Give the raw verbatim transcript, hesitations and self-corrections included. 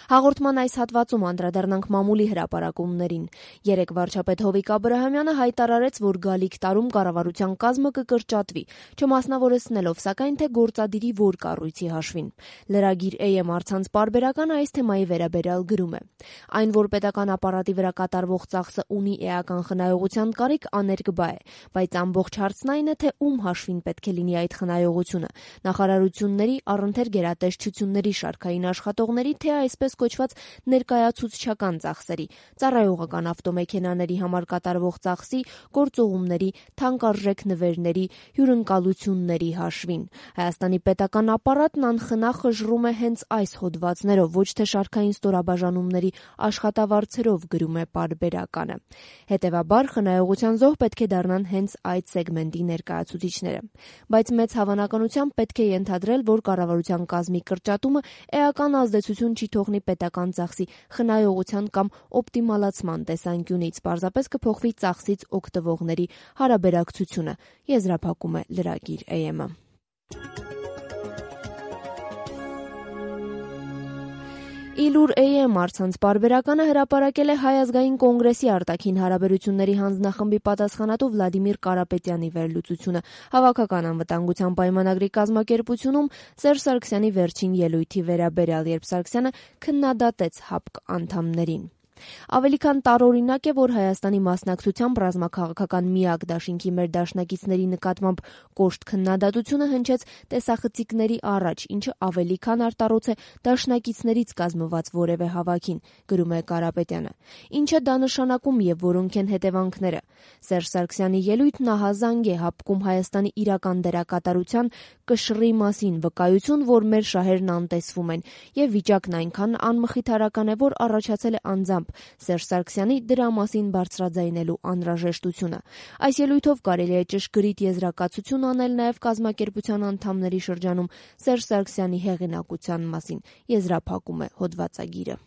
Հաղորդման այս հատվածում անդրադառնանք մամուլի հրապարակումներին։ Երեկ վարչապետ Հովիկ Աբրահամյանը հայտարարեց, որ գալիք տարում կառավարության կազմը կկրճատվի, չմասնավորեցնելով սակայն թե գործադիրի որ կառույցի հաշվին։ Լրագիր Է Էմ առցանց պարբերականը այս թեմայի վերաբերյալ գրում է. Այն, որ պետական ապարատի վրա կատարվող ծախսը ունի էական խնայողության կարիք, աներկբա է, բայց ամբողջ հարցն այն է, թե ում հաշվին պետք է լինի այդ խնայողությունը՝ նախարարությունների, առընթեր գերատեսչությունների շարքային աշխատողների, թե այսպես կոչված ներկայացուցչական ծախսերի, ծառայողական ավտոմեքենաների համար կատարվող ծախսի, գործուղումների, թանկարժեք նվերների, հյուրընկալությունների հաշվին։ Հայաստանի պետական ապարատն անխնա խժռում է հենց այս հոդվածներով, ոչ թե շարքային ստորաբաժանումների աշխատավարձերով, գրում է պարբերականը։ Հետևաբար խնայողության զոհ պետք է դառնան հենց այդ սեգմենտի ներկայացուցիչները։ Բայց մեծ հավանականությամբ պետք է ենթադրել, որ կառավարության կազմի կրճատումը էական ազդեցություն չի թողնի պետական ծախսի խնայողության կամ օպտիմալացման տեսանկյունից, պարզապես կփոխվի ծախսից օգտվողների հարաբերակցությունը, եզրափակում է լրագիր Է Էմ-ը։ Իլուր Է Էմ առցանց պարբերականը հրապարակել է Հայ ազգային կոնգրեսի արտաքին հարաբերությունների հանձնախմբի պատասխանատու Վլադիմիր Կարապետյանի վերլուծությունը հավաքական անվտանգության պայմանագրի կազմակերպությունում Սերժ Սարգսյանի վերջին ելույթի վերաբերյալ, երբ Սարգսյանը քննադատեց ՀԱՊԿ անդամներին։ Ավելի քան տարօրինակ է, որ Հայաստանի մասնակցությամբ ռազմաքաղաքական միակ դաշինքի մեր դաշնակիցների նկատմամբ կոշտ քննադատությունը հնչեց տեսախցիկների առաջ, ինչը ավելի քան արտառոց է դաշնակիցներից կազմված որևէ հավաքին, գրում է Կարապետյանը։ Ինչ է դա նշանակում եւ որոնք են հետևանքները։ Սերժ Սարգսյանի ելույթն ահազանգ է ՀԱՊԿ-ում Հայաստանի իրական դերակատարության կշռի մասին, վկայություն, որ մեր շահերն անտեսվում են, եւ վիճակն այնքան անմխիթարական է, որ առաջացել է անձամբ Սերժ Սարգսյանի դրա մասին բարձրաձայնելու անհրաժեշտությունը։ Այս ելույթով կարելի է ճշգրիտ եզրակացություն անել նաև կազմակերպության անդամների շրջանում Սերժ Սարգսյանի հեղինակության մասին, եզրափակում է հոդվածագիրը։